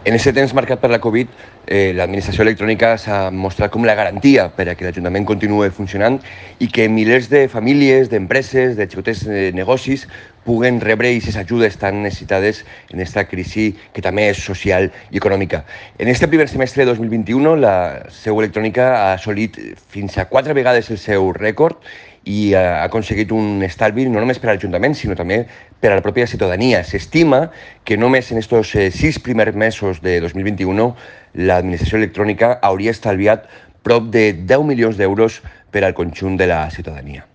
En aquest temps marcat per la Covid, l'administració electrònica s'ha mostrat com la garantia per a que l'Ajuntament continuï funcionant i que milers de famílies, d'empreses, de xicotets negocis puguen rebre aquestes ajudes tan necessitades en aquesta crisi que també és social i econòmica. En aquest primer semestre de 2021, la seu electrònica ha assolit fins a 4 vegades el seu rècord i ha aconseguit un estalvi no només per a l'Ajuntament, sinó també per a la pròpia ciutadania. S'estima que només en aquests 6 primers mesos de 2021 l'administració electrònica hauria estalviat prop de 10 milions d'euros per al conjunt de la ciutadania.